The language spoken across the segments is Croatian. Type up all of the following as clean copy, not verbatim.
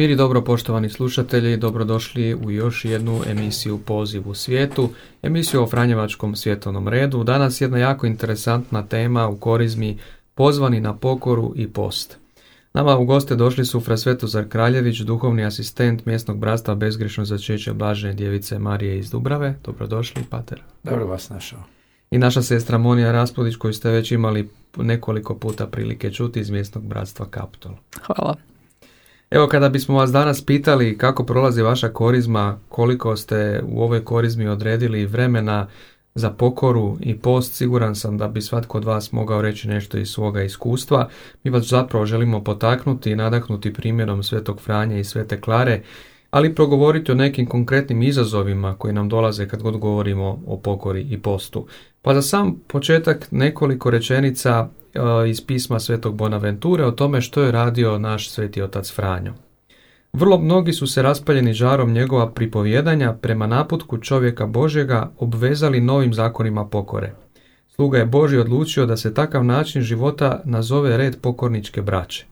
Mir i dobro, poštovani slušatelji, dobrodošli u još jednu emisiju Poziv u svijetu, emisiju o Franjevačkom svjetovnom redu. Danas jedna jako interesantna tema u Korizmi, pozvani na pokoru i post. Nama u goste došli su fra Svetozar Kraljević, duhovni asistent mjesnog bratstva Bezgrešno začeće Blažene djevice Marije iz Dubrave. Dobrodošli, pater. Dobro vas našao. I naša sestra Monija Raspudić, koju ste već imali nekoliko puta prilike čuti iz mjesnog bratstva Kaptol. Hvala. Evo, kada bismo vas danas pitali kako prolazi vaša korizma, koliko ste u ovoj korizmi odredili vremena za pokoru i post, siguran sam da bi svatko od vas mogao reći nešto iz svoga iskustva. Mi vas zapravo želimo potaknuti i nadahnuti primjerom Svetog Franje i Svete Klare, ali progovoriti o nekim konkretnim izazovima koji nam dolaze kad god govorimo o pokori i postu. Pa za sam početak nekoliko rečenica iz pisma Svetog Bonaventure o tome što je radio naš sveti otac Franjo. Vrlo mnogi su se raspaljeni žarom njegova pripovjedanja prema naputku čovjeka Božjega obvezali novim zakonima pokore. Sluga je Božji odlučio da se takav način života nazove red pokorničke braće.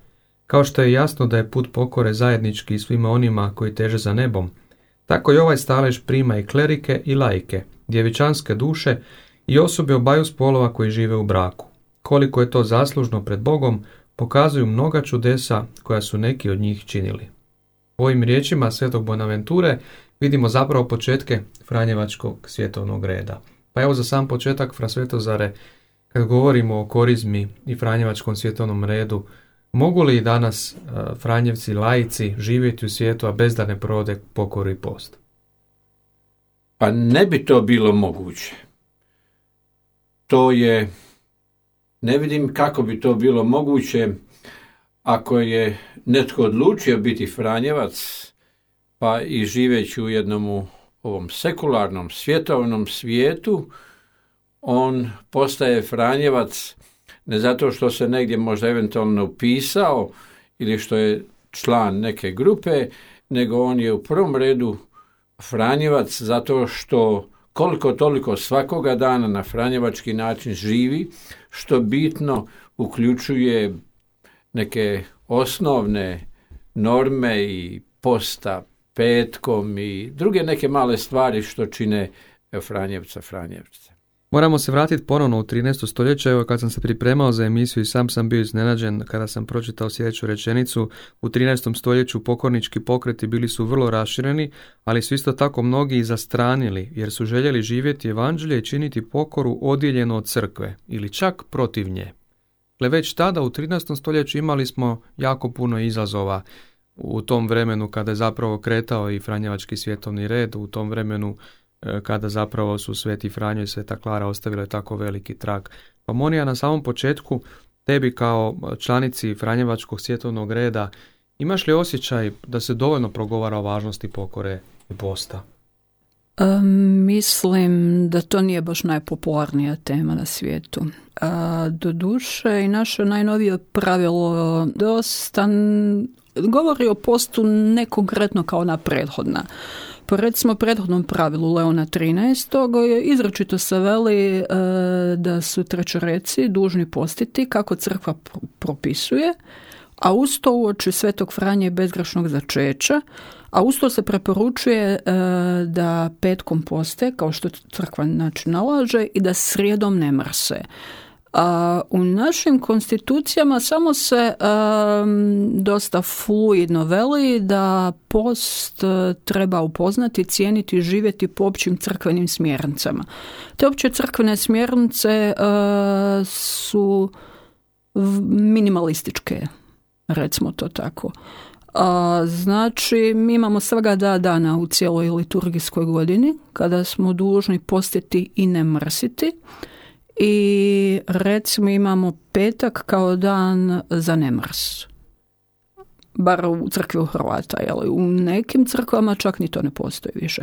Kao što je jasno da je put pokore zajednički svima onima koji teže za nebom, tako i ovaj stalež prima i klerike i laike, djevičanske duše i osobe obaju spolova koji žive u braku. Koliko je to zaslužno pred Bogom, pokazuju mnoga čudesa koja su neki od njih činili. U ovim riječima Svetog Bonaventure vidimo zapravo početke Franjevačkog svjetovnog reda. Pa evo za sam početak, fra Svetozare, kad govorimo o korizmi i Franjevačkom svjetovnom redu, mogu li danas Franjevci laici živjeti u svijetu, a bez da ne provode pokoru i post? Pa ne bi to bilo moguće. Ne vidim kako bi to bilo moguće ako je netko odlučio biti Franjevac, pa i živeći u jednom ovom sekularnom svjetovnom svijetu, on postaje Franjevac ne zato što se negdje možda eventualno upisao ili što je član neke grupe, nego on je u prvom redu Franjevac zato što koliko toliko svakoga dana na franjevački način živi, što bitno uključuje neke osnovne norme i posta petkom i druge neke male stvari što čine Franjevca. Moramo se vratiti ponovno u 13. stoljeće. Evo, kad sam se pripremao za emisiju i sam bio iznenađen kada sam pročitao sljedeću rečenicu. U 13. stoljeću pokornički pokreti bili su vrlo rašireni, ali su isto tako mnogi i zastranili, jer su željeli živjeti evanđelje i činiti pokoru odijeljeno od crkve, ili čak protiv nje. Već tada u 13. stoljeću imali smo jako puno izazova u tom vremenu kada je zapravo kretao i Franjevački svjetovni red, u tom vremenu kada zapravo su Sveti Franjo i Sveta Klara ostavile tako veliki trag. Pa Monija, na samom početku, tebi kao članici Franjevačkog svjetovnog reda, imaš li osjećaj da se dovoljno progovara o važnosti pokore i posta? Mislim da to nije baš najpopularnija tema na svijetu. Doduše i naše najnovije pravilo dosta govori o postu ne konkretno kao na prethodna. Po recimo prethodnom pravilu Leona 13. izričito se veli da su trećoreci dužni postiti kako crkva propisuje, a uz to uoči Svetog Franje i Bezgrešnog začeća, a uz to se preporučuje da petkom poste, kao što crkva nalaže, i da srijedom ne mrse. A u našim konstitucijama samo se dosta fluidno veli da post treba upoznati, cijeniti, živjeti po općim crkvenim smjernicama. Te opće crkvene smjernice su minimalističke, recimo to tako. Znači, mi imamo svega 2 dana u cijeloj liturgijskoj godini kada smo dužni postiti i ne mrsiti. I recimo imamo petak kao dan za nemrs. Bar u crkvi u Hrvata, jel? U nekim crkvama čak ni to ne postoji više.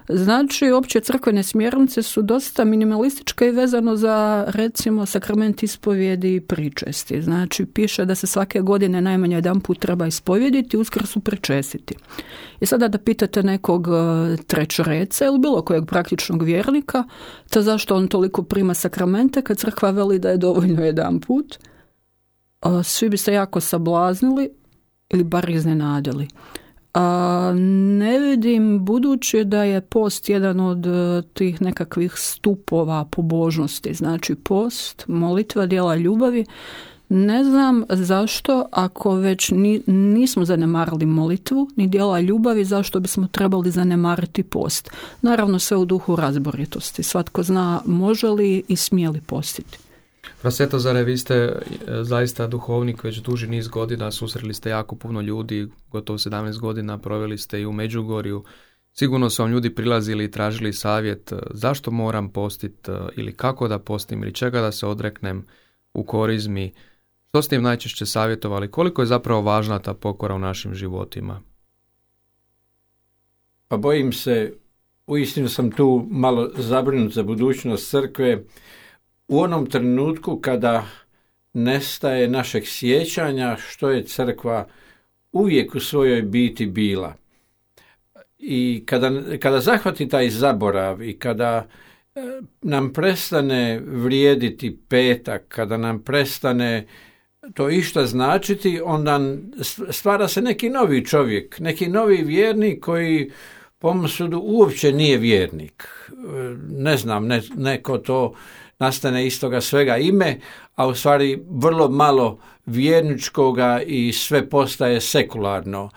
Znači, opće crkvene smjernice su dosta minimalističke i vezano za, recimo, sakrament ispovjedi i pričesti. Znači, piše da se svake godine najmanje jedan put treba ispovjediti, Uskrsu pričestiti. I sada da pitate nekog trećoreca ili bilo kojeg praktičnog vjernika, to zašto on toliko prima sakramente kad crkva veli da je dovoljno jedan put, svi bi se jako sablaznili ili bar iznenadili. Ne vidim, budući da je post jedan od tih nekakvih stupova pobožnosti, znači post, molitva, djela ljubavi, ne znam zašto, ako već nismo zanemarili molitvu ni djela ljubavi, zašto bismo trebali zanemariti post. Naravno sve u duhu razboritosti. Svatko zna može li i smije li postiti. Svetozare, vi ste zaista duhovnik već duži niz godina, susreli ste jako puno ljudi, gotovo 17 godina proveli ste i u Međugorju. Sigurno su vam ljudi prilazili i tražili savjet zašto moram postiti ili kako da postim ili čega da se odreknem u korizmi. Što ste im najčešće savjetovali? Koliko je zapravo važna ta pokora u našim životima? Pa bojim se, uistinu sam tu malo zabrinut za budućnost crkve, u onom trenutku kada nestaje našeg sjećanja što je crkva uvijek u svojoj biti bila. I kada zahvati taj zaborav i kada nam prestane vrijediti petak, kada nam prestane to išta značiti, onda stvara se neki novi čovjek, neki novi vjernik koji po mom sudu uopće nije vjernik. Ne znam, neko to nastane iz toga svega ime, a u stvari vrlo malo vjerničkoga i sve postaje sekularno.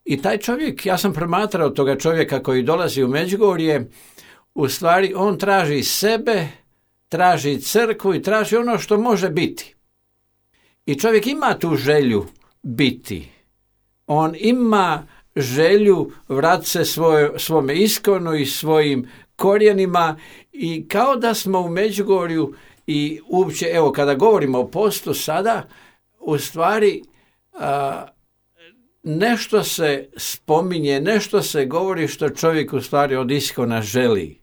I taj čovjek, ja sam promatrao toga čovjeka koji dolazi u Međugorje, u stvari on traži sebe, traži crkvu i traži ono što može biti. I čovjek ima tu želju biti. On ima želju vratiti se svome iskonu i svojim korijenima i kao da smo u Međugorju i uopće, evo kada govorimo o postu sada, u stvari nešto se spominje, nešto se govori što čovjek u stvari od iskona želi.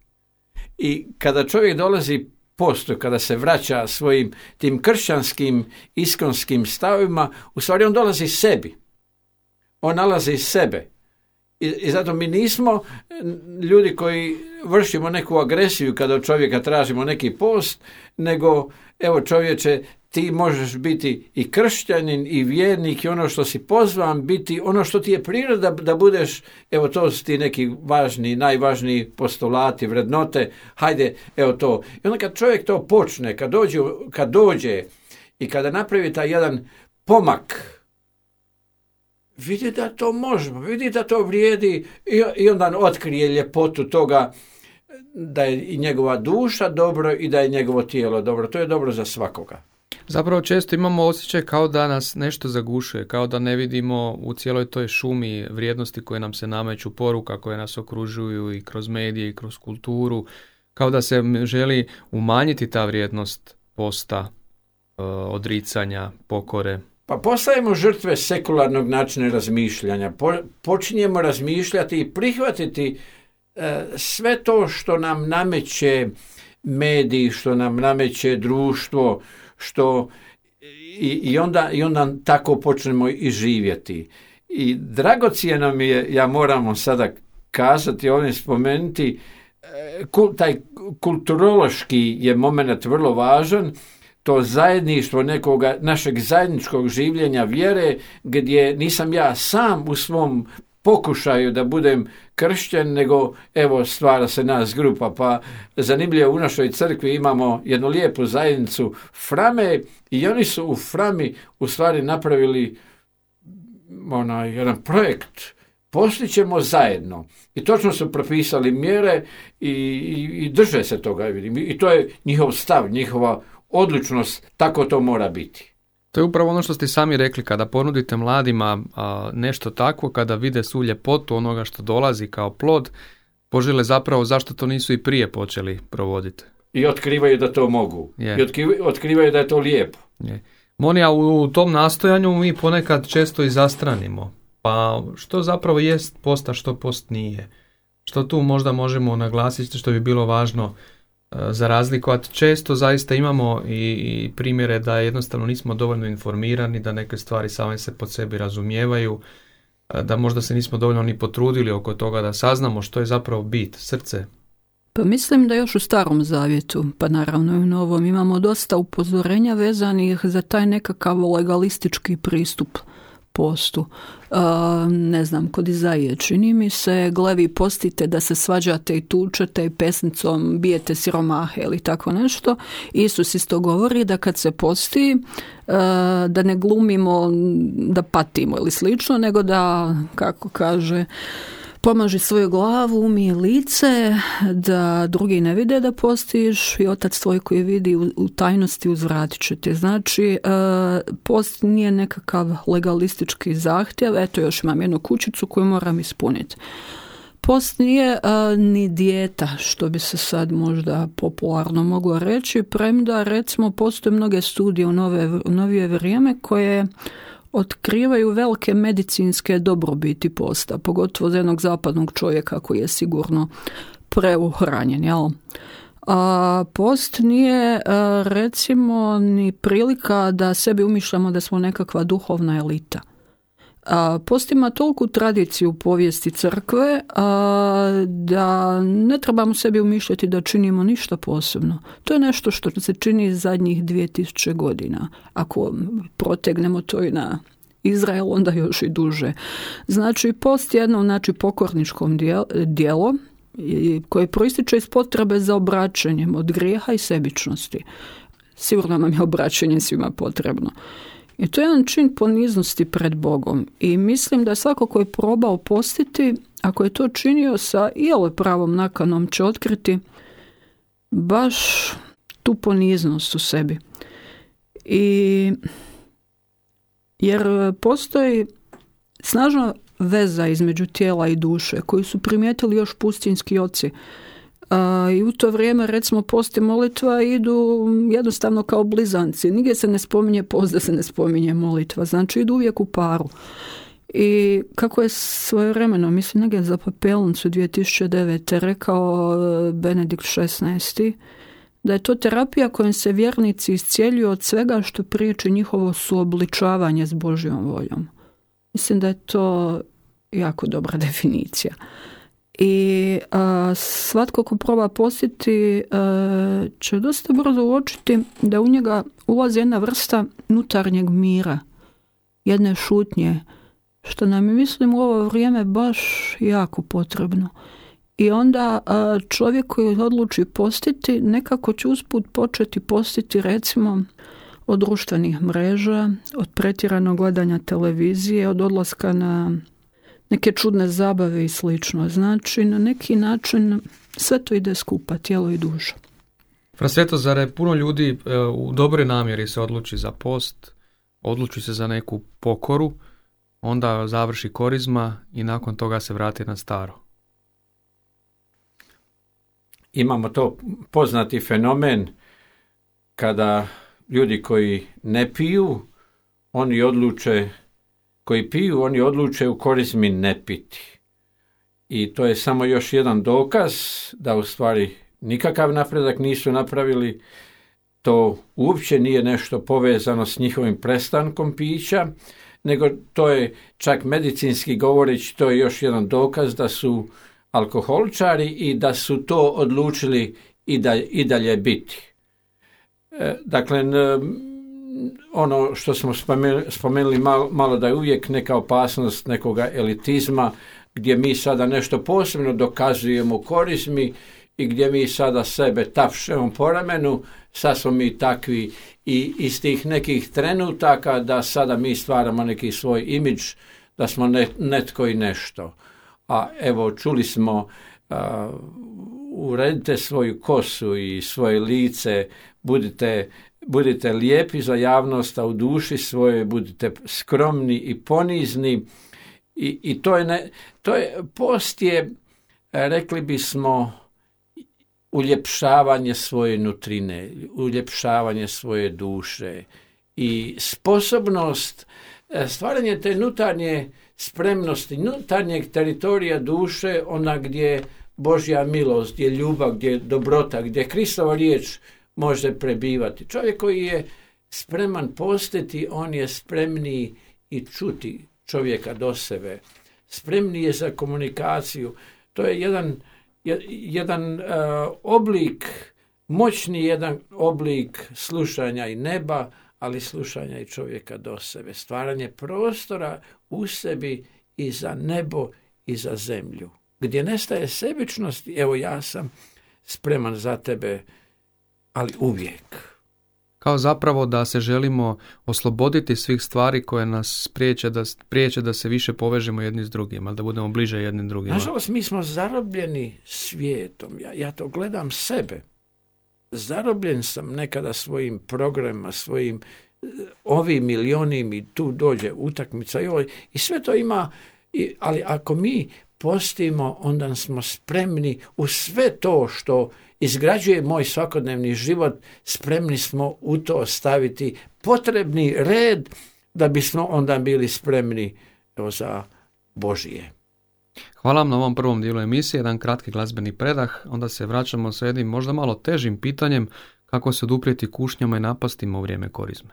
I kada čovjek dolazi postu, kada se vraća svojim tim kršćanskim iskonskim stavima, u stvari on dolazi sebi. On nalazi sebe. I zato mi nismo ljudi koji vršimo neku agresiju kada od čovjeka tražimo neki post, nego evo čovječe, ti možeš biti i kršćanin i vjernik i ono što si pozvan biti, ono što ti je priroda da budeš, evo to su ti neki važni, najvažniji postulati, vrednote, hajde, evo to. I onda kad čovjek to počne, kad dođe i kada napravi taj jedan pomak, vidi da to možemo, vidi da to vrijedi i onda otkrije ljepotu toga da je i njegova duša dobro i da je njegovo tijelo dobro. To je dobro za svakoga. Zapravo često imamo osjećaj kao da nas nešto zagušuje, kao da ne vidimo u cijeloj toj šumi vrijednosti koje nam se nameću, poruka koje nas okružuju i kroz medije i kroz kulturu, kao da se želi umanjiti ta vrijednost posta, odricanja, pokore. Pa postajemo žrtve sekularnog načina razmišljanja. Počinjemo razmišljati i prihvatiti sve to što nam nameće mediji, što nam nameće društvo, i onda tako počnemo i živjeti. I dragocjeno mi je, ja moramo sada kazati, ovdje spomenuti, taj kulturološki je moment vrlo važan, to zajedništvo nekoga, našeg zajedničkog življenja vjere, gdje nisam ja sam u svom pokušaju da budem kršćan, nego evo stvara se nas grupa. Pa zanimljivo, u našoj crkvi imamo jednu lijepu zajednicu Frame i oni su u Frami u stvari napravili jedan projekt. Postićemo zajedno. I točno su propisali mjere i drže se toga. I to je njihov stav, njihova odlučnost, tako to mora biti. To je upravo ono što ste sami rekli, kada ponudite mladima nešto takvo, kada vide svu ljepotu onoga što dolazi kao plod, požele zapravo zašto to nisu i prije počeli provoditi. I otkrivaju da to mogu. I otkrivaju da je to lijepo. Monija, u tom nastojanju mi ponekad često i zastranimo. Pa što zapravo jest post, a što post nije? Što tu možda možemo naglasiti što bi bilo važno za razliku, a često zaista imamo i primjere da jednostavno nismo dovoljno informirani, da neke stvari same se pod sebi razumijevaju, da možda se nismo dovoljno ni potrudili oko toga da saznamo što je zapravo bit, srce. Pa mislim da još u Starom Zavjetu, pa naravno i u Novom, imamo dosta upozorenja vezanih za taj nekakav legalistički pristup postu. Ne znam, kod Izaije čini mi se, glevi postite da se svađate i tučete i pesnicom bijete siromahe ili tako nešto. Isus isto govori da kad se posti, da ne glumimo da patimo ili slično, nego da, kako kaže, pomaži svoju glavu, umije lice, da drugi ne vide da postiš i Otac tvoj koji vidi u tajnosti uzvratit će te. Znači, post nije nekakav legalistički zahtjev, eto još imam jednu kućicu koju moram ispuniti. Post nije ni dijeta, što bi se sad možda popularno moglo reći, premda recimo postoje mnoge studije u novije vrijeme koje otkrivaju velike medicinske dobrobiti posta, pogotovo za jednog zapadnog čovjeka koji je sigurno preuhranjen, jel? Post nije recimo ni prilika da sebi umišljamo da smo nekakva duhovna elita. Post ima toliku tradiciju u povijesti crkve da ne trebamo sebi umišljati da činimo ništa posebno. To je nešto što se čini zadnjih 2000 godina. Ako protegnemo to i na Izrael, onda još i duže. Znači, post je jedno pokorničkom djelo koje proističe iz potrebe za obraćanjem od grijeha i sebičnosti. Sigurno nam je obraćanje svima potrebno. I to je jedan čin poniznosti pred Bogom. I mislim da svako ko je probao postiti, ako je to činio sa iole pravom nakanom, će otkriti baš tu poniznost u sebi. Jer postoji snažna veza između tijela i duše koju su primijetili još pustinjski oci. I u to vrijeme recimo post i molitva idu jednostavno kao blizanci. Nigdje se ne spominje post da se ne spominje molitva. Znači idu uvijek u paru. I kako je svojevremeno, mislim negdje za Papelnicu 2009. rekao Benedikt XVI. Da je to terapija kojom se vjernici iscijeljuju od svega što priječi njihovo suobličavanje s Božjom voljom. Mislim da je to jako dobra definicija. I svatko ko proba postiti će dosta brzo uočiti da u njega ulazi jedna vrsta unutarnjeg mira, jedne šutnje, što nam je, mislim, u ovo vrijeme baš jako potrebno. I onda čovjek koji odluči postiti, nekako će usput početi postiti recimo od društvenih mreža, od pretjeranog gledanja televizije, od odlaska na neke čudne zabave i slično. Znači, na neki način sve to ide skupa, tijelo i duša. Fra Svetozare, puno ljudi u dobroj namjeri se odluči za post, odluči se za neku pokoru, onda završi korizma i nakon toga se vrati na staro. Imamo to poznati fenomen kada ljudi koji ne piju, oni odluče u korizmi ne piti. I to je samo još jedan dokaz da u stvari nikakav napredak nisu napravili. To uopće nije nešto povezano s njihovim prestankom pića, nego to je čak medicinski govoreći, to je još jedan dokaz da su alkoholičari i da su to odlučili i dalje biti. Dakle, ono što smo spomenuli malo da je uvijek neka opasnost nekoga elitizma, gdje mi sada nešto posebno dokazujemo u korizmi i gdje mi sada sebe tapšemo po ramenu, sad smo mi takvi i iz tih nekih trenutaka da sada mi stvaramo neki svoj imidž, da smo netko i nešto. A evo, čuli smo, uredite svoju kosu i svoje lice, budite lijepi za javnost, a u duši svoje budite skromni i ponizni. I post je, rekli bismo, uljepšavanje svoje nutrine, uljepšavanje svoje duše i sposobnost stvaranje te unutarnje spremnosti, unutarnjeg teritorija duše, ona gdje Božja milost, gdje ljubav, gdje dobrota, gdje Kristova riječ može prebivati. Čovjek koji je spreman postiti, on je spremniji i čuti čovjeka do sebe. Spremniji je za komunikaciju. To je jedan oblik, moćni jedan oblik slušanja i neba, ali slušanja i čovjeka do sebe. Stvaranje prostora u sebi i za nebo i za zemlju. Gdje nestaje sebičnost, evo ja sam spreman za tebe, ali uvijek. Kao zapravo da se želimo osloboditi svih stvari koje nas priječe da se više povežemo jedni s drugima, da budemo bliže jednim drugima. Nažalost, mi smo zarobljeni svijetom. Ja to gledam sebe. Zarobljen sam nekada svojim programima, svojim ovim ili onim i tu dođe utakmica i sve to ima, ali ako mi postimo, onda smo spremni u sve to što izgrađuje moj svakodnevni život, spremni smo u to staviti potrebni red da bismo onda bili spremni za Božije. Hvala vam na ovom prvom dijelu emisije, jedan kratki glazbeni predah, onda se vraćamo sa jednim možda malo težim pitanjem kako se oduprijeti kušnjama i napastima u vrijeme korizme.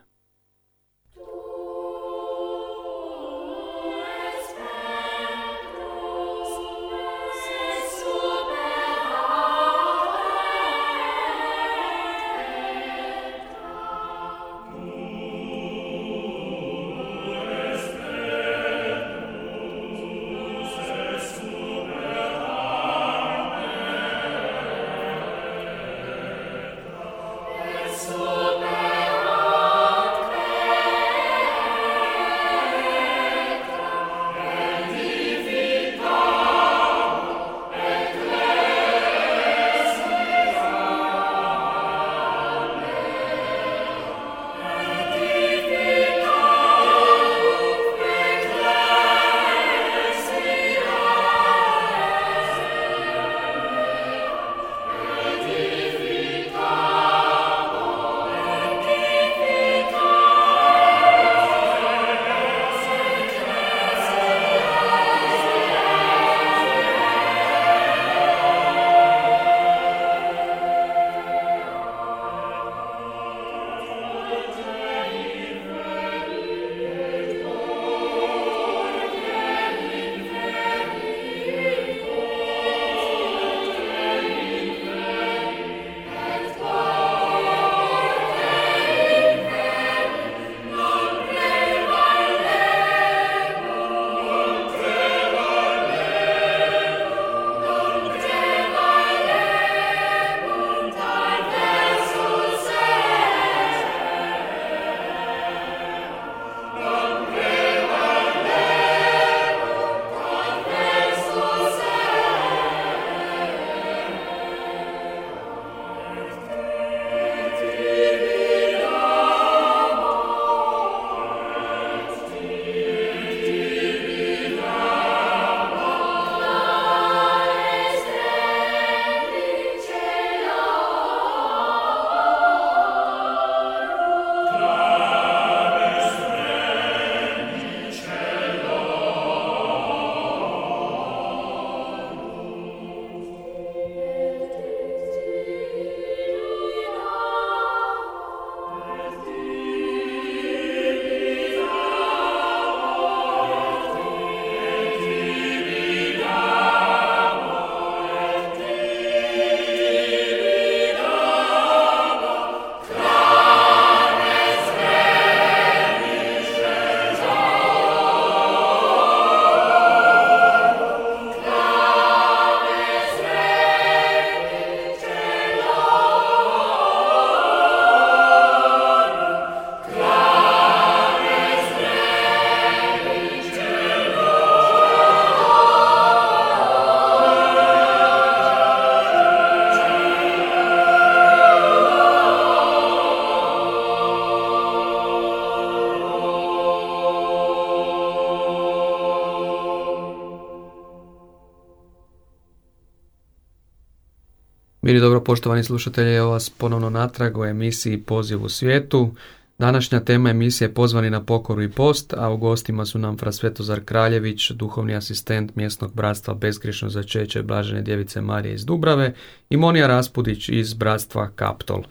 Mili dobro, poštovani slušatelji, evo vas ponovno natrag u emisiji Poziv u svijetu. Današnja tema emisije je Pozvani na pokoru i post, a u gostima su nam fra Svetozar Kraljević, duhovni asistent mjesnog bratstva Bezgriješno začeće Blažene djevice Marije iz Dubrave, i Monija Raspudić iz bratstva Kaptol.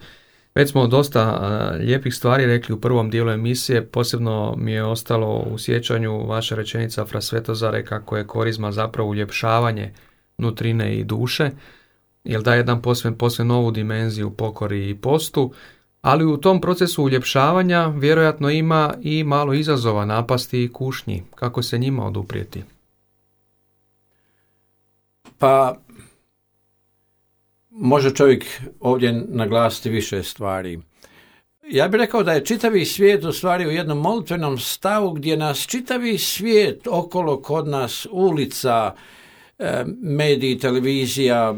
Već smo dosta lijepih stvari rekli u prvom dijelu emisije, posebno mi je ostalo u sjećanju vaša rečenica fra Svetozare kako je korizma zapravo uljepšavanje nutrine i duše, jer daje jedan posve novu dimenziju pokori i postu, ali u tom procesu uljepšavanja vjerojatno ima i malo izazova, napasti i kušnji. Kako se njima oduprijeti? Pa, može čovjek ovdje naglasiti više stvari. Ja bih rekao da je čitavi svijet u stvari u jednom molitvenom stavu gdje nas čitavi svijet okolo kod nas, ulica, mediji, televizija,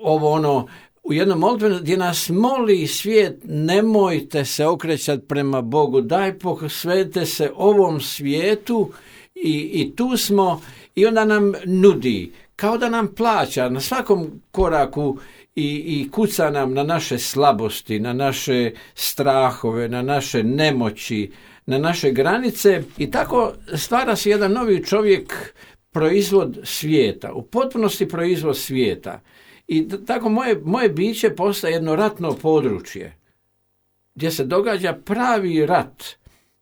ovo ono, u jednom molitvenom gdje nas moli svijet, nemojte se okrećati prema Bogu, daj posvetite se ovom svijetu i tu smo i onda nam nudi, kao da nam plaća na svakom koraku i kuca nam na naše slabosti, na naše strahove, na naše nemoći, na naše granice i tako stvara se jedan novi čovjek, proizvod svijeta, u potpunosti proizvod svijeta. I tako moje biće postaje jedno ratno područje gdje se događa pravi rat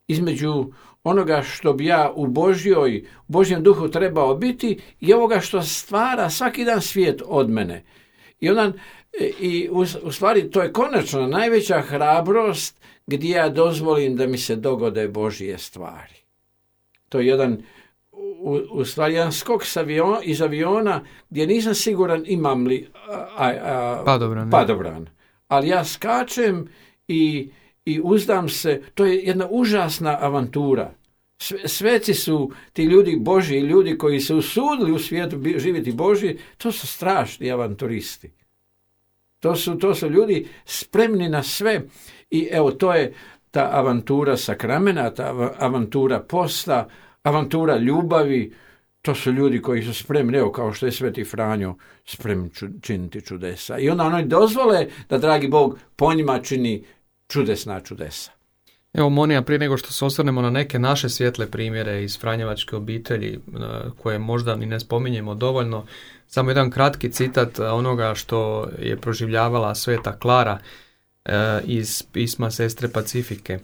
između onoga što bi ja u Božjem duhu trebao biti i ovoga što stvara svaki dan svijet od mene. I u stvari to je konačno najveća hrabrost gdje ja dozvolim da mi se dogode Božje stvari. To je u stvari jedan skok iz aviona gdje nisam siguran imam li padobran. Ali ja skačem i uzdam se, to je jedna užasna avantura. Sveci su ti ljudi Božji, ljudi koji se usudili u svijetu živjeti Božji, to su strašni avanturisti. To su ljudi spremni na sve i evo to je ta avantura sakramena, ta avantura posta, avantura ljubavi. To su ljudi koji su spremni, evo kao što je Sveti Franjo, spremni činiti čudesa. I onda oni dozvole da dragi Bog po njima čini čudesna čudesa. Evo Monija, prije nego što se osvrnemo na neke naše svijetle primjere iz Franjevačke obitelji, koje možda ni ne spominjemo dovoljno, samo jedan kratki citat onoga što je proživljavala Sveta Klara iz pisma Sestre Pacifike.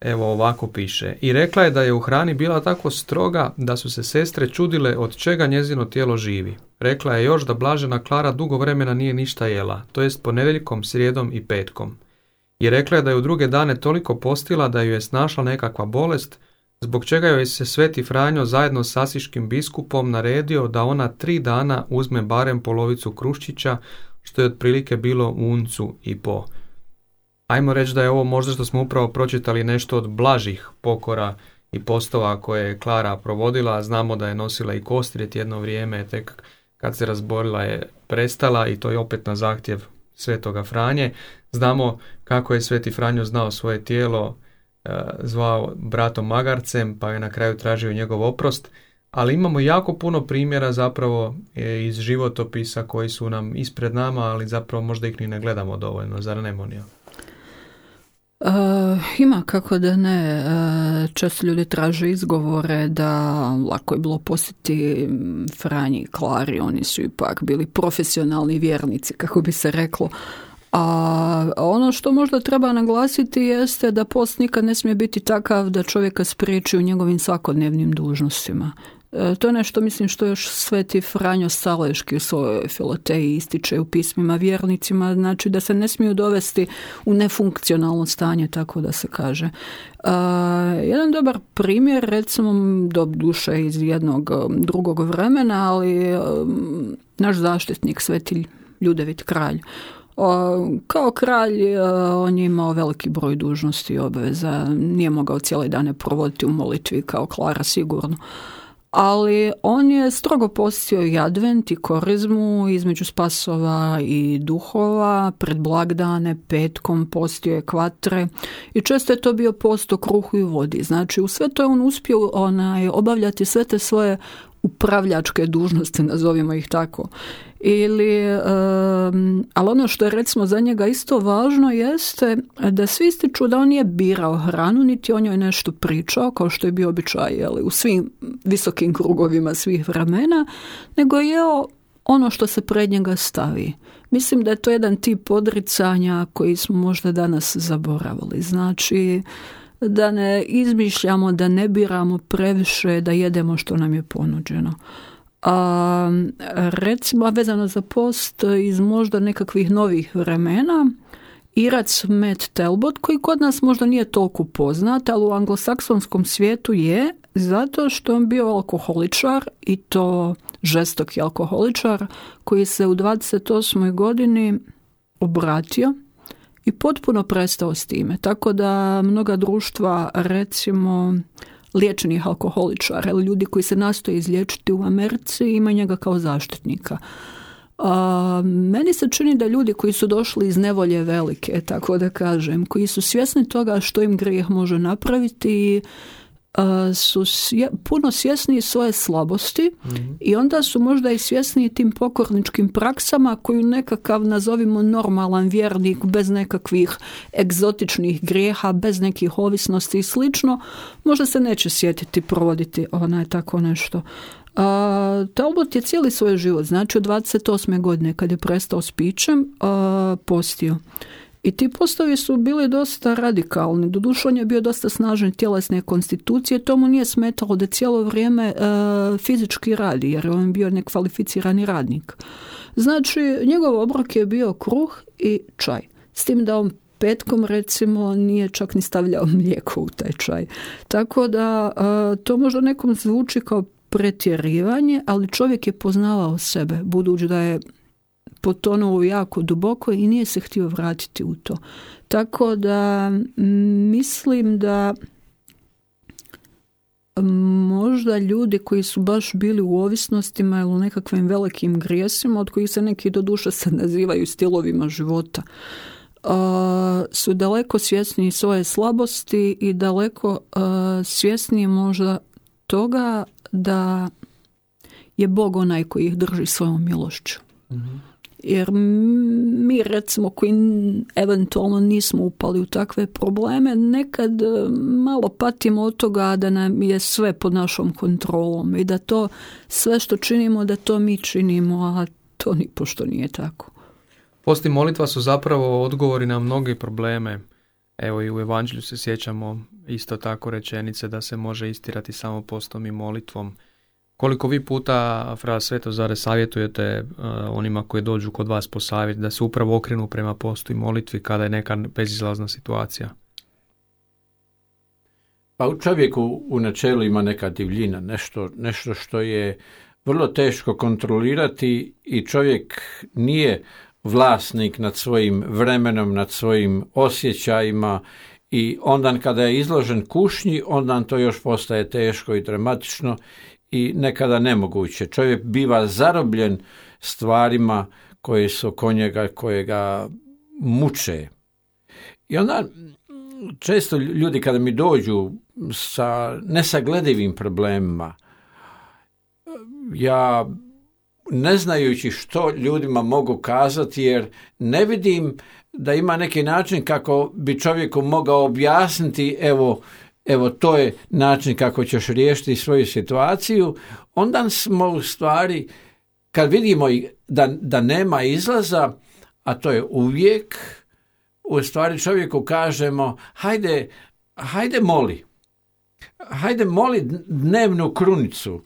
Evo ovako piše. I rekla je da je u hrani bila tako stroga da su se sestre čudile od čega njezino tijelo živi. Rekla je još da blažena Klara dugo vremena nije ništa jela, to jest ponedjeljkom, srijedom i petkom. I rekla je da je u druge dane toliko postila da ju je snašla nekakva bolest, zbog čega joj se Sveti Franjo zajedno s asiškim biskupom naredio da ona 3 dana uzme barem polovicu kruščića, što je otprilike bilo uncu i po. Ajmo reći da je ovo možda što smo upravo pročitali nešto od blažih pokora i postova koje je Klara provodila. Znamo da je nosila i kostrijet jedno vrijeme, tek kad se razborila je prestala i to je opet na zahtjev Svetoga Franje. Znamo kako je Sveti Franjo znao svoje tijelo, zvao bratom magarcem, pa je na kraju tražio njegov oprost, ali imamo jako puno primjera zapravo iz životopisa koji su nam ispred nama, ali zapravo možda ih ni ne gledamo dovoljno, zar ne, Monija? Ima, kako da ne. Često ljudi traže izgovore da lako je bilo posjetiti Franji i Klari, oni su ipak bili profesionalni vjernici, kako bi se reklo. A ono što možda treba naglasiti jeste da post nikad ne smije biti takav da čovjeka spriječi u njegovim svakodnevnim dužnostima. To je nešto, mislim, što još Sveti Franjo Saleški u svojoj Filoteji ističe u pismima vjernicima, znači da se ne smiju dovesti u nefunkcionalno stanje, tako da se kaže. Jedan dobar primjer, recimo, do duše iz jednog drugog vremena, ali naš zaštitnik, Sveti Ljudevit kralj. Kao kralj on je imao veliki broj dužnosti i obveza, nije mogao cijele dane provoditi u molitvi kao Klara sigurno. Ali on je strogo postio i advent i korizmu između spasova i duhova, pred blagdane, petkom postio je kvatre i često je to bio post o kruhu i vodi. Znači u sve to je on uspio obavljati sve te svoje upravljačke dužnosti, nazovimo ih tako. Ali ono što je recimo za njega isto važno jeste da svi ističu da on nije birao hranu, niti o njoj nešto pričao, kao što je bio običaj u svim visokim krugovima svih vremena, nego je jeo ono što se pred njega stavi. Mislim da je to jedan tip odricanja koji smo možda danas zaboravili. Znači da ne izmišljamo, da ne biramo previše, da jedemo što nam je ponuđeno. Recimo vezano za post iz možda nekakvih novih vremena, Irac Matt Talbot, koji kod nas možda nije toliko poznat, ali u anglosaksonskom svijetu je, zato što je on bio alkoholičar, i to žestoki alkoholičar, koji se u 28. godini obratio i potpuno prestao s time. Tako da mnoga društva, recimo liječenih alkoholičara ili ljudi koji se nastoje izliječiti u Americi, ima njega kao zaštitnika. Meni se čini da ljudi koji su došli iz nevolje velike, tako da kažem, koji su svjesni toga što im grijeh može napraviti, su puno svjesni svoje slabosti i onda su možda i svjesni tim pokorničkim praksama koju nekakav, nazovimo, normalan vjernik bez nekakvih egzotičnih grijeha, bez nekih ovisnosti i slično, možda se neće sjetiti provoditi tako nešto. Talbot je cijeli svoj život, znači od 28. godine kad je prestao s pićem, postio. I ti postovi su bili dosta radikalni. Doduše on je bio dosta snažan tjelesne konstitucije, to mu nije smetalo da cijelo vrijeme fizički radi, jer on je bio nekvalificirani radnik. Znači, njegov obrok je bio kruh i čaj. S tim da on petkom, recimo, nije čak ni stavljao mlijeko u taj čaj. Tako da to možda nekom zvuči kao pretjerivanje, ali čovjek je poznavao sebe, budući da je potonuo jako duboko i nije se htio vratiti u to. Tako da mislim da možda ljudi koji su baš bili u ovisnostima ili u nekakvim velikim grijesima, od kojih se neki doduše se nazivaju stilovima života, su daleko svjesniji svoje slabosti i daleko svjesniji možda toga da je Bog onaj koji ih drži svojom milošću. Jer mi, recimo, koji eventualno nismo upali u takve probleme, nekad malo patimo od toga da nam je sve pod našom kontrolom i da to sve što činimo, da to mi činimo, a to nipošto nije tako. Post i molitva su zapravo odgovori na mnoge probleme. Evo i u Evanđelju se sjećamo isto tako rečenice da se može istirati samo postom i molitvom. Koliko vi puta, fra Svetozare, savjetujete onima koji dođu kod vas po savjet da se upravo okrenu prema postu i molitvi kada je neka bezizlazna situacija? Pa u čovjeku u načelu ima neka divljina, nešto što je vrlo teško kontrolirati i čovjek nije vlasnik nad svojim vremenom, nad svojim osjećajima i onda kada je izložen kušnji, onda to još postaje teško i dramatično i nekada nemoguće. Čovjek biva zarobljen stvarima koje su oko njega, koje ga muče. I onda često ljudi kada mi dođu sa nesagledivim problemima, ja ne znajući što ljudima mogu kazati, jer ne vidim da ima neki način kako bi čovjeku mogao objasniti evo to je način kako ćeš riješiti svoju situaciju, onda smo u stvari, kad vidimo da nema izlaza, a to je uvijek, u stvari čovjeku kažemo hajde moli dnevnu krunicu.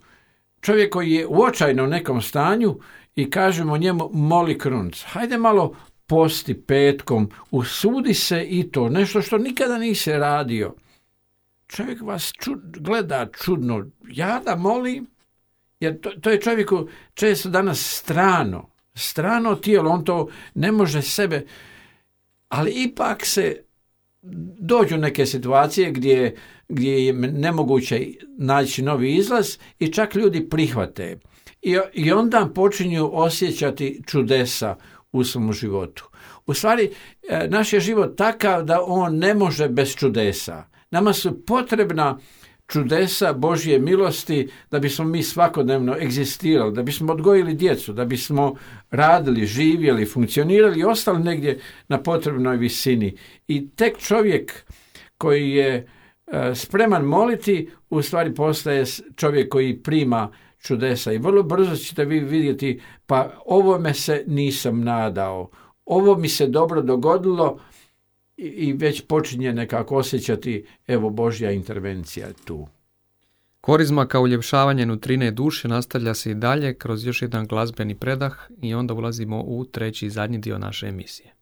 Čovjek koji je u očajnom nekom stanju i kažemo njemu moli krunicu. Hajde malo posti petkom, usudi se i to, nešto što nikada nisi radio. Čovjek vas gleda čudno, ja da molim, jer to je čovjeku često danas strano tijelo, on to ne može sebe, ali ipak se dođu neke situacije gdje je nemoguće naći novi izlaz i čak ljudi prihvate. I onda počinju osjećati čudesa u svom životu. U stvari, naš je život takav da on ne može bez čudesa. Nama su potrebna čudesa Božje milosti da bismo mi svakodnevno egzistirali, da bismo odgojili djecu, da bismo radili, živjeli, funkcionirali i ostali negdje na potrebnoj visini. I tek čovjek koji je spreman moliti, u stvari postaje čovjek koji prima čudesa. I vrlo brzo ćete vi vidjeti, pa ovome se nisam nadao, ovo mi se dobro dogodilo, i već počinje nekako osjećati, evo, Božja intervencija tu. Korizma kao uljepšavanje nutrine duše nastavlja se i dalje kroz još jedan glazbeni predah i onda ulazimo u treći i zadnji dio naše emisije.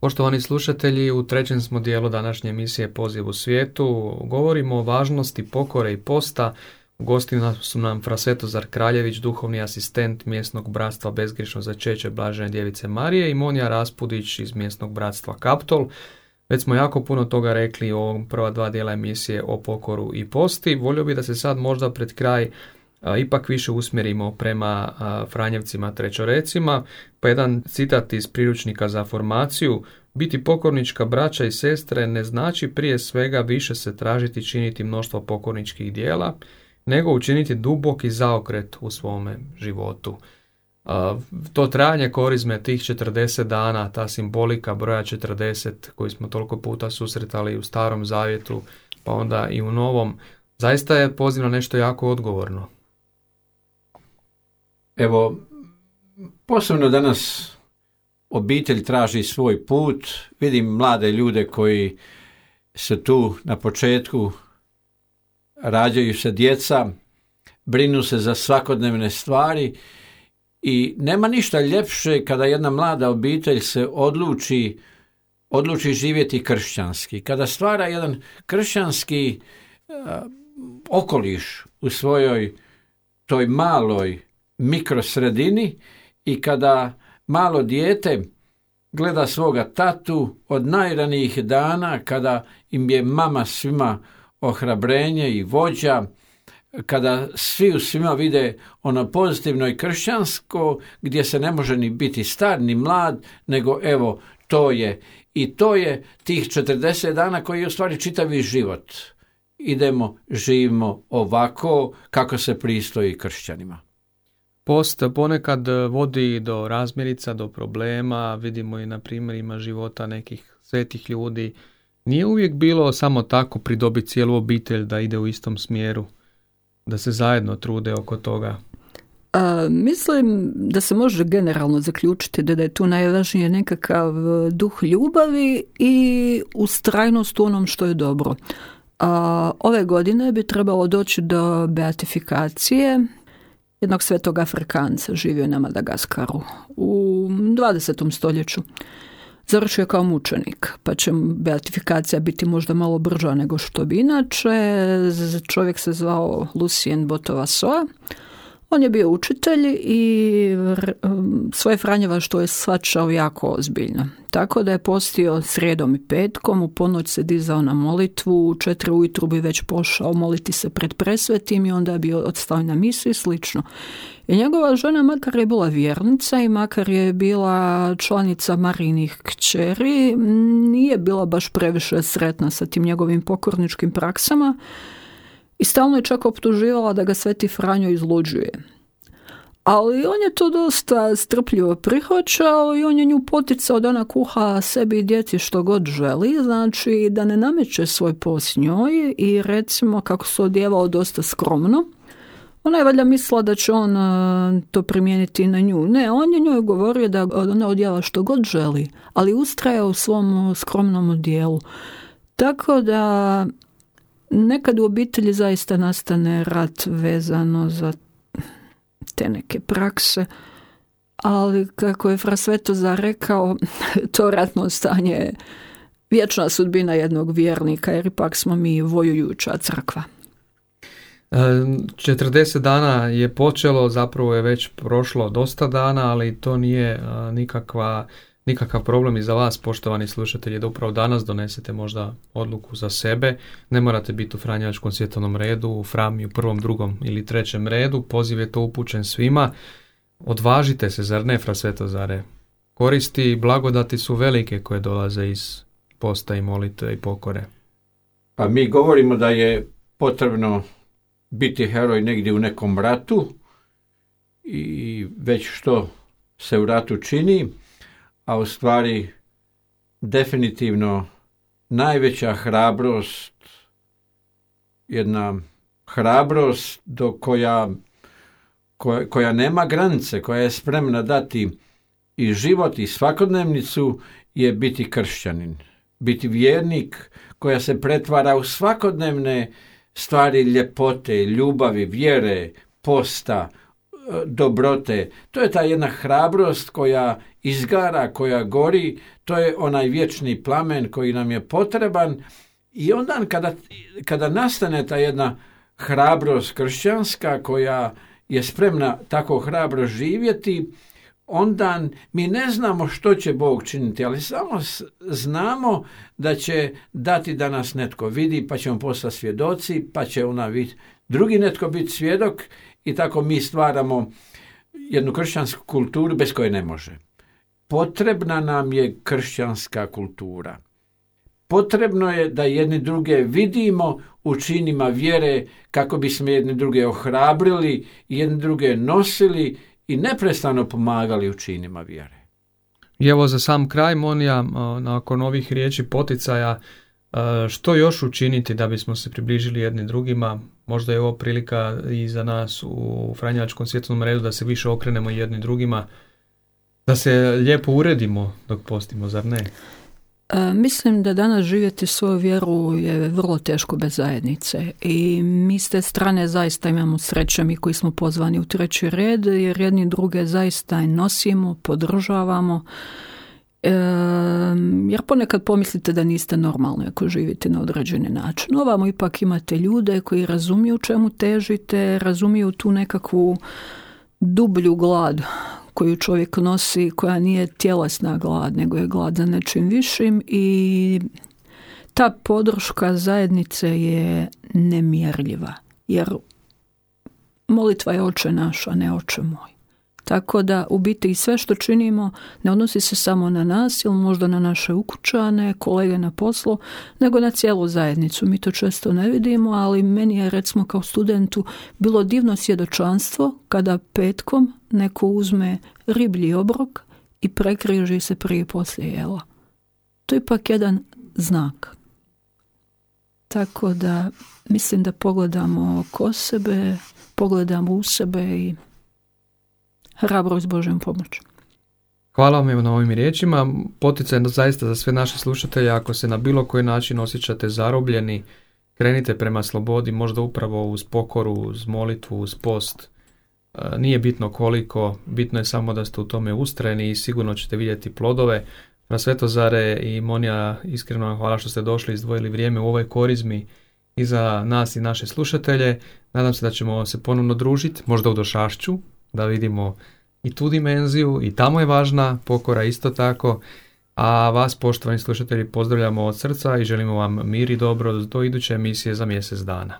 Poštovani slušatelji, u trećem smo dijelu današnje emisije Poziv u svijetu. Govorimo o važnosti pokore i posta. U gostima su nam fra Svetozar Kraljević, duhovni asistent mjesnog bratstva Bezgrješno začeće Blažene djevice Marije, i Monija Raspudić iz mjesnog bratstva Kaptol. Već smo jako puno toga rekli o prva dva dijela emisije o pokoru i posti. Volio bih da se sad možda pred kraj ipak više usmjerimo prema Franjevcima trećorecima, pa jedan citat iz priručnika za formaciju: biti pokornička braća i sestre ne znači prije svega više se tražiti činiti mnoštvo pokorničkih dijela, nego učiniti duboki zaokret u svome životu. To trajanje korizme, tih 40 dana, ta simbolika broja 40 koji smo toliko puta susretali u Starom Zavjetu, pa onda i u Novom, zaista je poziv na nešto jako odgovorno. Evo, posebno danas obitelj traži svoj put. Vidim mlade ljude koji se tu na početku, rađaju se djeca, brinu se za svakodnevne stvari i nema ništa ljepše kada jedna mlada obitelj se odluči živjeti kršćanski. Kada stvara jedan kršćanski okoliš u svojoj toj maloj mikrosredini i kada malo dijete gleda svoga tatu od najranijih dana, kada im je mama svima ohrabrenje i vođa, kada svi u svima vide ono pozitivno i kršćansko, gdje se ne može ni biti star ni mlad, nego evo to je. I to je tih 40 dana koji je u stvari čitavi život. Idemo, živimo ovako kako se pristoji kršćanima. Post ponekad vodi do razmirica, do problema, vidimo i na primjerima života nekih svetih ljudi. Nije uvijek bilo samo tako pridobiti cijelu obitelj da ide u istom smjeru, da se zajedno trude oko toga. Mislim da se može generalno zaključiti da je tu najvažnije nekakav duh ljubavi i ustrajnost u onom što je dobro. Ove godine bi trebalo doći do beatifikacije jednog svetog Afrikanca, živio je na Madagaskaru u 20. stoljeću. Završio je kao mučenik, pa će beatifikacija biti možda malo brža nego što bi inače. Čovjek se zvao Lucien Botovasoa. On je bio učitelj i svoje franjevaštvo je shvaćao jako ozbiljno. Tako da je postio srijedom i petkom, u ponoć se dizao na molitvu, u 4 ujutru bi već pošao moliti se pred presvetim i onda bi odstao na misu i slično. I njegova žena, makar je bila vjernica i makar je bila članica Marijinih kćeri, nije bila baš previše sretna sa tim njegovim pokorničkim praksama i stalno je čak optuživala da ga Sveti Franjo izluđuje. Ali on je to dosta strpljivo prihvaćao i on je nju poticao da ona kuha sebi i djeci što god želi, znači da ne nameće svoj post njoj i recimo kako se odjevao dosta skromno. Ona je valjda mislila da će on to primijeniti na nju. Ne, on je njoj govorio da ona odjeva što god želi, ali ustraje u svom skromnom odjelu. Tako da nekad u obitelji zaista nastane rat vezano za te neke prakse, ali kako je fra Svetozar rekao, to ratno stanje je vječna sudbina jednog vjernika, jer ipak smo mi vojujuća crkva. 40 dana je počelo, zapravo je već prošlo dosta dana, ali to nije nikakav problem i za vas, poštovani slušatelji, da upravo danas donesete možda odluku za sebe. Ne morate biti u Franjevačkom svjetovnom redu, u Frami u 1., 2. ili 3. redu. Poziv je to upućen svima. Odvažite se, zar ne, fra Svetozare? Koristi i blagodati su velike koje dolaze iz posta i molitve i pokore. Pa mi govorimo da je potrebno biti heroj negdje u nekom ratu i već što se u ratu čini, a u stvari definitivno najveća hrabrost, jedna hrabrost koja nema granice, koja je spremna dati i život i svakodnevnicu, je biti kršćanin. Biti vjernik koja se pretvara u svakodnevne stvari ljepote, ljubavi, vjere, posta, dobrote. To je ta jedna hrabrost koja izgara, koja gori, to je onaj vječni plamen koji nam je potreban i onda kada nastane ta jedna hrabrost kršćanska koja je spremna tako hrabro živjeti, onda mi ne znamo što će Bog činiti, ali samo znamo da će dati da nas netko vidi, pa ćemo postati svjedoci, pa će drugi netko biti svjedok i tako mi stvaramo jednu kršćansku kulturu bez koje ne može. Potrebna nam je kršćanska kultura. Potrebno je da jedni druge vidimo u činima vjere kako bismo jedni druge ohrabrili, jedni druge nosili i neprestano pomagali u činima vjere. I evo za sam kraj, Monija, nakon ovih riječi poticaja, što još učiniti da bismo se približili jedni drugima? Možda je ovo prilika i za nas u Franjevačkom svjetovnom redu da se više okrenemo jedni drugima, da se lijepo uredimo dok postimo, zar ne? Mislim da danas živjeti svoju vjeru je vrlo teško bez zajednice i mi s te strane zaista imamo sreće, mi koji smo pozvani u treći red, jer jedni druge zaista nosimo, podržavamo, jer ponekad pomislite da niste normalni ako živite na određeni način. Ovamo ipak imate ljude koji razumiju čemu težite, razumiju tu nekakvu dublju glad koju čovjek nosi, koja nije tjelesna glad, nego je glad za nečim višim i ta podrška zajednice je nemjerljiva, jer molitva je Oče naš, a ne Oče moj. Tako da u biti i sve što činimo ne odnosi se samo na nas ili možda na naše ukućane, kolege na poslu, nego na cijelu zajednicu. Mi to često ne vidimo, ali meni je recimo kao studentu bilo divno svjedočanstvo kada petkom neko uzme riblji obrok i prekriži se prije poslije jela. To je ipak jedan znak. Tako da mislim da pogledamo oko sebe, pogledamo u sebe i hrabro s Božjom pomoći. Hvala vam na ovim riječima. Poticaj zaista za sve naše slušatelje, ako se na bilo koji način osjećate zarobljeni, krenite prema slobodi, možda upravo uz pokoru, uz molitvu, uz post. Nije bitno koliko, bitno je samo da ste u tome ustrajni i sigurno ćete vidjeti plodove. Na Svetozare i Monija, iskreno vam hvala što ste došli, izdvojili vrijeme u ovoj korizmi i za nas i naše slušatelje. Nadam se da ćemo se ponovno družiti, možda u Došašću, da vidimo i tu dimenziju, i tamo je važna pokora isto tako. A vas, poštovani slušatelji, pozdravljamo od srca i želimo vam mir i dobro do iduće emisije za mjesec dana.